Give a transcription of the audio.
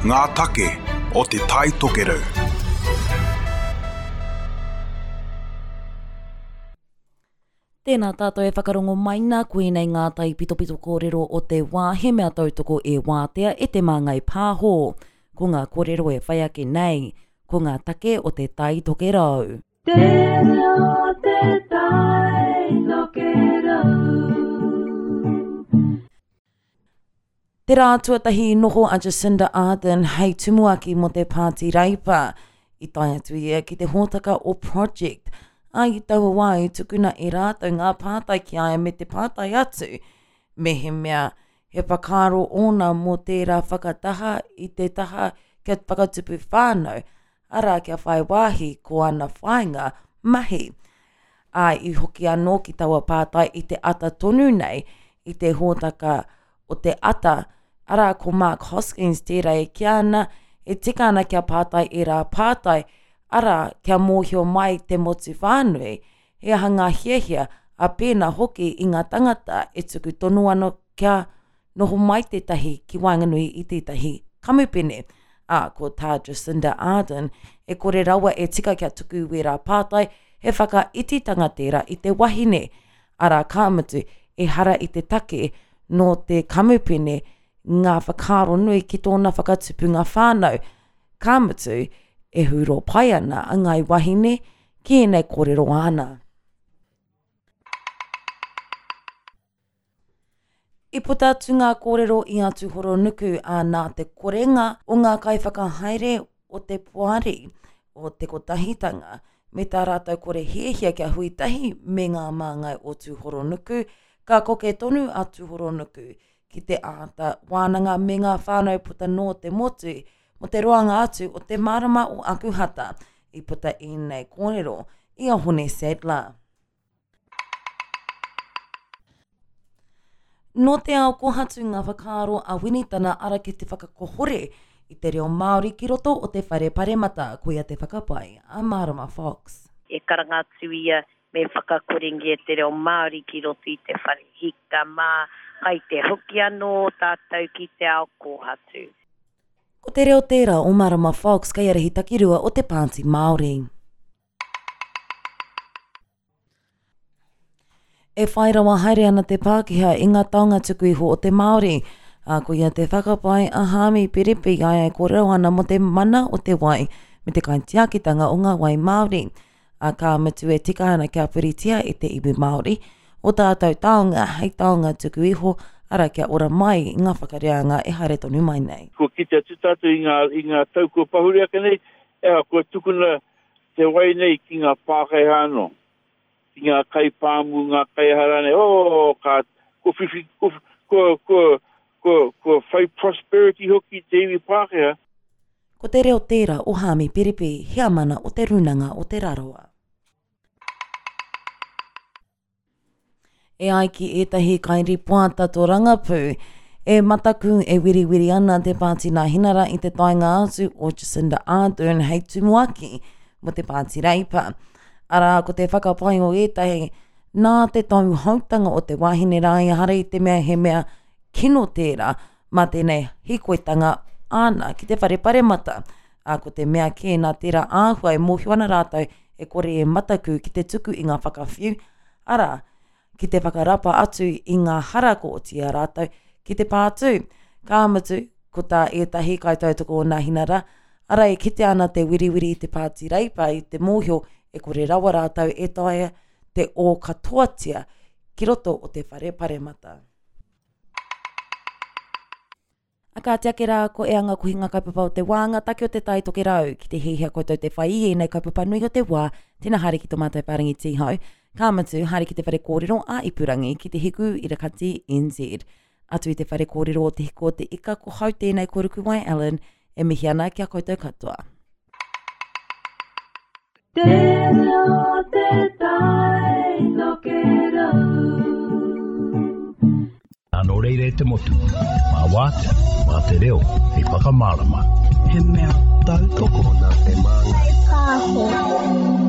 Ngā take o Te Tai Tokerau. Tēnā tātou e whakarongo mai nā, koinei ngā taipitopito kōrero o te wā he mea tautoko e Wātea e Te Māngai Pāho. Ko ngā kōrero e whai ake nei, ko ngā take o Te Tai Tokerau. Te reo o te tai tokerau. Te rā tuatahi i noho a Jacinda Ardern hei tumuaki mō te Pāti Reipa. I tae atu ia ki te hōtaka o Project, ā, i taua wā i tukuna e rātou ngā pātai ki a ia me te pātai atu mehemea he whakaaro ōna mō tērā whakataha i te taha kia whakatupu whānau, arā kia whai wāhi ko ana whāinga mahi. Ā, i hoki anō ki taua pātai i te ata tonu nei, i te hōtaka o te ata, arā ko Mark Hoskins tērā e kīa ana, e tika ana kia pātai ērā pātai, arā, kia mōhio mai te motu whānui, he aha ngā hiahia, ā pēnā hoki i ngā tangata e tuku tono ana kia noho mai tētahi ki waenganui i tētahi kamupene. Ā, ko tā Jacinda Ardern, e kore rawa e tika kia tuku wērā pātai, he whakaititanga tērā i te wahine, arā ka mutu, ehara i te take nō te kamupene ngā whakaaro nui ki tōna whakatupunga whānau, ka mutu, e hūro pai ana a Ngāi Wahine ki ēnei kōrero āna. I puta atu ngā kōrero i a Tūhoronuku, ā, nā te korenga o ngā kaiwhakahaere o te poari o Te Kotahitanga me tā rātou kore hiahia kia hui tahi me ngā māngai o Tūhoronuku, ka koke tonu a Tūhoronuku ki te āta wānanga me ngā whānau puta noa te motu mō te roanga atu o te marama o Akuhata. I puta ēnei kōrero i a Hone Sadler. Nō te ao kohatu ngā whakaaro a Winitana ara ki te whakakohore i te reo Māori ki roto o te Whare Paremata, koia te whakapae a Marama Fox. E karanga atu ia me whakakorengia te reo Māori ki roto i te whare hika mā, kai te hoki anō tātou ki te ao kōhatu. Ko te reo tērā o Marama Fox, kaiārahi takirua o te Pāti Māori. E whai rawa haere ana te Pākehā i ngā taonga tuku iho o te Māori, ā, koia te whakapae a Haami Piripi i a ia e kōrero ana mō te mana o te wai me te kaitiakitanga o ngā wai Māori, ā, ka mutu e tika ana kia puritia e te iwi Māori ō tātou taonga hei taonga tuku iho, arā, kia ora mai i ngā whakareanga e haere tonu mai nei. Kua kite atu tātou i ngā, i ngā tau kua pahure ake nei, ea, kua tukuna te wai nei ki ngā Pākehā anō, ki ngā kaipāmu, ngā kaiaha rānei, oh, ka, kua whiwhi, kua, kua, kua, kua, kua whai prosperity hoki te iwi Pākehā. Ko te reo tērā o Haami Piripi, heamana o Te Rūnanga o Te Rarawa. E ai ki ētahi kairipoata tōrangapū, e mataku e wiriwiri ana te Pāti Nāhinara i te taenga atu o Jacinda Ardern hei tumuaki mō te Pāti Reipa. Arā, ko te whakapae o ētahi, nā te tauhoutanga o te wahine rā ehara i te mea he mea kino tērā mā tēnei hīkoitanga āna ki te whare paremata. Ā, ko te mea kē nā tērā āhua e mōhio ana rātou e kore e mataku ki te tuku i ngā whakawhiu, arā, ki te whakarapa atu i ngā hara kua oti i a rātou ki te pātū. Ka mutu, ko tā ētahi kaitautoko o Nāhinara, arā e kitea ana te wiriwiri i te Pāti Reipa i te mōhio e kore rawa rātou e taea te ō katoatia ki roto o te whare paremata. A kāti ake rā, ko e anga kohi ngā kaupapa o te wā, ngā take o te Tai Tokerau. Ki te hiahia koutou te whai i ēnei kaupapa nui o te wā, tēnā haere ki tō mātou whārangi tīhau, ka mutu, haere ki te whare kōrero ā ipurangi, ki te Hiku Irakati NZ. Atu i te whare kōrero o Te Hiku o te Ika, ko hau tēnei ko Rukuwai Allen, e mihi ana ki a koutou katoa. Te reo o te tai tokerau. Nō reira e te motu, mā Wātea, mā te reo hei whakamārama. He mea tautoko nā Te Māngai Pāho.